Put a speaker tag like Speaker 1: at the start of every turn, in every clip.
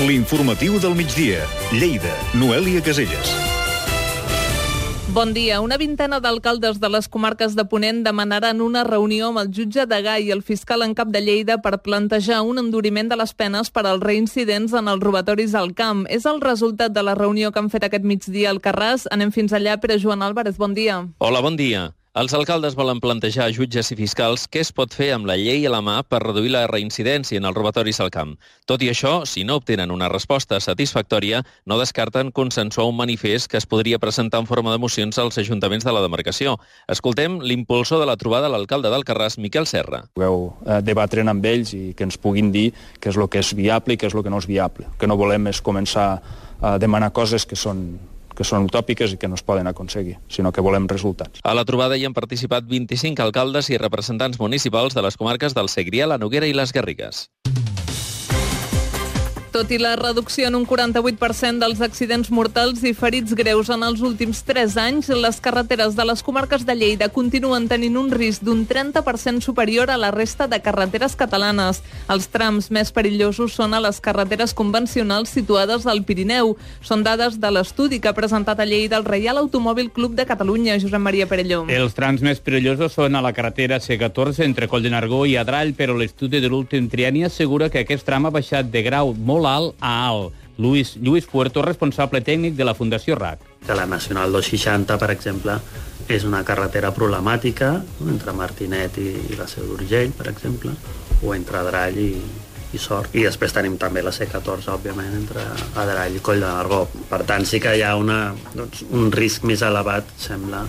Speaker 1: L'informatiu del migdia. Lleida, Noèlia Caselles.
Speaker 2: Bon dia. Una vintena d'alcaldes de les comarques de Ponent demanaran una reunió amb el jutge Degà i el fiscal en cap de Lleida per plantejar un enduriment de les penes per als reincidents en els robatoris al camp. És el resultat de la reunió que han fet aquest migdia al Carràs. Anem fins allà. Pere Joan Álvarez, bon dia.
Speaker 3: Hola, bon dia. Els alcaldes volen plantejar a jutges i fiscals què es pot fer amb la llei a la mà per reduir la reincidència en els robatoris al camp. Tot i això, si no obtenen una resposta satisfactòria, no descarten consensuar un manifest que es podria presentar en forma de mocions als ajuntaments de la demarcació. Escoltem l'impulsor de la trobada, l'alcalde d'Alcarràs, Miquel Serra.
Speaker 4: Pugueu debatre'n amb ells i que ens puguin dir què és el que és viable i què és el que no és viable. El que no volem és començar a demanar coses que són utòpiques i que no es poden aconseguir, sinó que volem resultats.
Speaker 3: A la trobada hi han participat 25 alcaldes i representants municipals de les comarques del Segrià, la Noguera i les Garrigues.
Speaker 2: Tot i la reducció en un 48% dels accidents mortals i ferits greus en els últims 3 anys, les carreteres de les comarques de Lleida continuen tenint un risc d'un 30% superior a la resta de carreteres catalanes. Els trams més perillosos són a les carreteres convencionals situades al Pirineu. Són dades de l'estudi que ha presentat a Lleida el Reial Automòbil Club de Catalunya, Josep Maria Perelló.
Speaker 5: Els trams més perillosos són a la carretera C14 entre Coll de Nargó i Adrall, però l'estudi de l'últim trienni assegura que aquest tram ha baixat de grau molt alt a alt. Lluís Puerto, responsable tècnic de la Fundació RAC.
Speaker 6: Que la Nacional 260, per exemple, és una carretera problemàtica, entre Martinet i la Seu d'Urgell, per exemple, o entre Adrall i Sort. I després tenim també la C14, òbviament, entre Adrall i Coll de Nargó. Per tant, sí que hi ha un risc més elevat, sembla,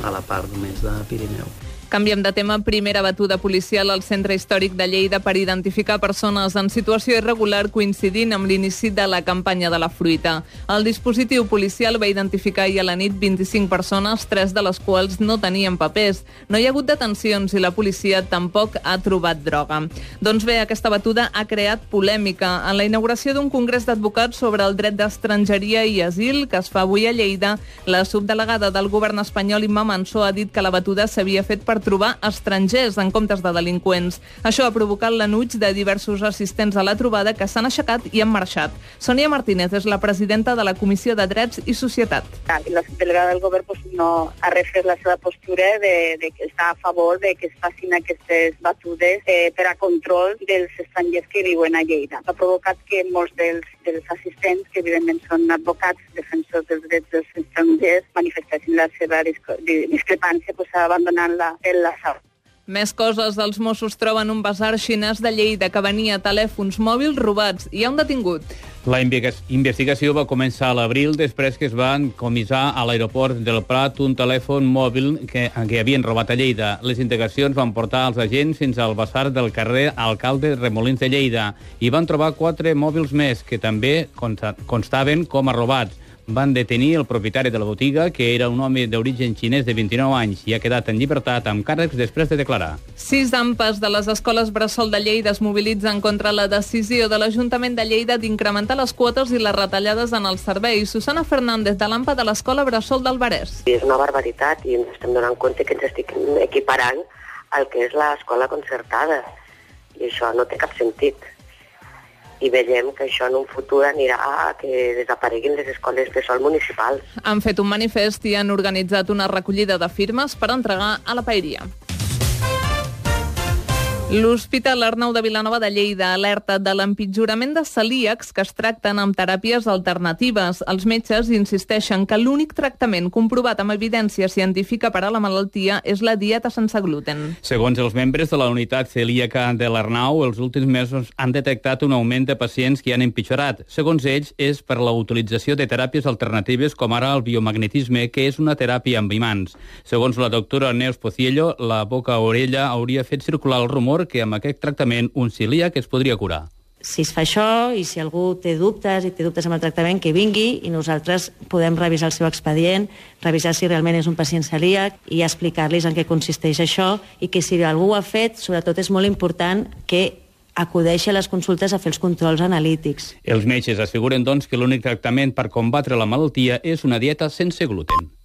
Speaker 6: a la part més de Pirineu.
Speaker 2: Canviem de tema. Primera batuda policial al centre històric de Lleida per identificar persones en situació irregular coincidint amb l'inici de la campanya de la fruita. El dispositiu policial va identificar ahir a la nit 25 persones, 3 de les quals no tenien papers. No hi ha hagut detencions i la policia tampoc ha trobat droga. Doncs bé, aquesta batuda ha creat polèmica. En la inauguració d'un congrés d'advocats sobre el dret d'estrangeria i asil que es fa avui a Lleida, la subdelegada del govern espanyol, Imma Mansó, ha dit que la batuda s'havia fet per trobar estrangers en comptes de delinqüents. Això ha provocat l'enuig de diversos assistents a la trobada que s'han aixecat i han marxat. Sònia Martínez és la presidenta de la Comissió de Drets i Societat.
Speaker 7: La subdelegada del govern no ha refet la seva postura de que està a favor de que es facin aquestes batudes per a control dels estrangers que viuen a Lleida. Ha provocat que molts dels assistents, que evidentment són advocats, defensors dels drets dels estrangers, manifestessin la seva discrepància abandonant la sala.
Speaker 2: Més coses. Els Mossos troben un basar xinès de Lleida que venia telèfons mòbils robats. Hi ha un detingut.
Speaker 5: La investigació va començar a l'abril després que es van comissar a l'aeroport del Prat un telèfon mòbil que havien robat a Lleida. Les indagacions van portar els agents fins al basar del carrer Alcalde Remolins de Lleida i van trobar 4 mòbils més que també constaven com a robats. Van detenir el propietari de la botiga, que era un home d'origen xinès de 29 anys i ha quedat en llibertat amb càrrecs després de declarar.
Speaker 2: 6 AMPAs de les escoles bressol de Lleida es mobilitzen contra la decisió de l'Ajuntament de Lleida d'incrementar les quotes i les retallades en els serveis. Susana Fernández, de l'AMPA de l'escola bressol del Barès.
Speaker 8: És una barbaritat i ens estem donant compte que ens estic equiparant al que és l'escola concertada. I això no té cap sentit. I veiem que això en un futur anirà a que desapareguin les escoles bressol municipals.
Speaker 2: Han fet un manifest i han organitzat una recollida de firmes per entregar a la paeria. L'Hospital Arnau de Vilanova de Lleida alerta de l'empitjorament de celíacs que es tracten amb teràpies alternatives. Els metges insisteixen que l'únic tractament comprovat amb evidència científica per a la malaltia és la dieta sense gluten.
Speaker 5: Segons els membres de la unitat celíaca de l'Arnau, els últims mesos han detectat un augment de pacients que han empitjorat. Segons ells, és per la utilització de teràpies alternatives com ara el biomagnetisme, que és una teràpia amb imants. Segons la doctora Neus Pociello, la boca-orella hauria fet circular el rumor que amb aquest tractament un celíac es podria curar.
Speaker 9: Si es fa això i si algú té dubtes amb el tractament, que vingui i nosaltres podem revisar el seu expedient, revisar si realment és un pacient celíac i explicar-los en què consisteix això i que si algú ho ha fet, sobretot és molt important que acudeixi a les consultes a fer els controls analítics.
Speaker 5: Els metges asseguren, doncs, que l'únic tractament per combatre la malaltia és una dieta sense gluten.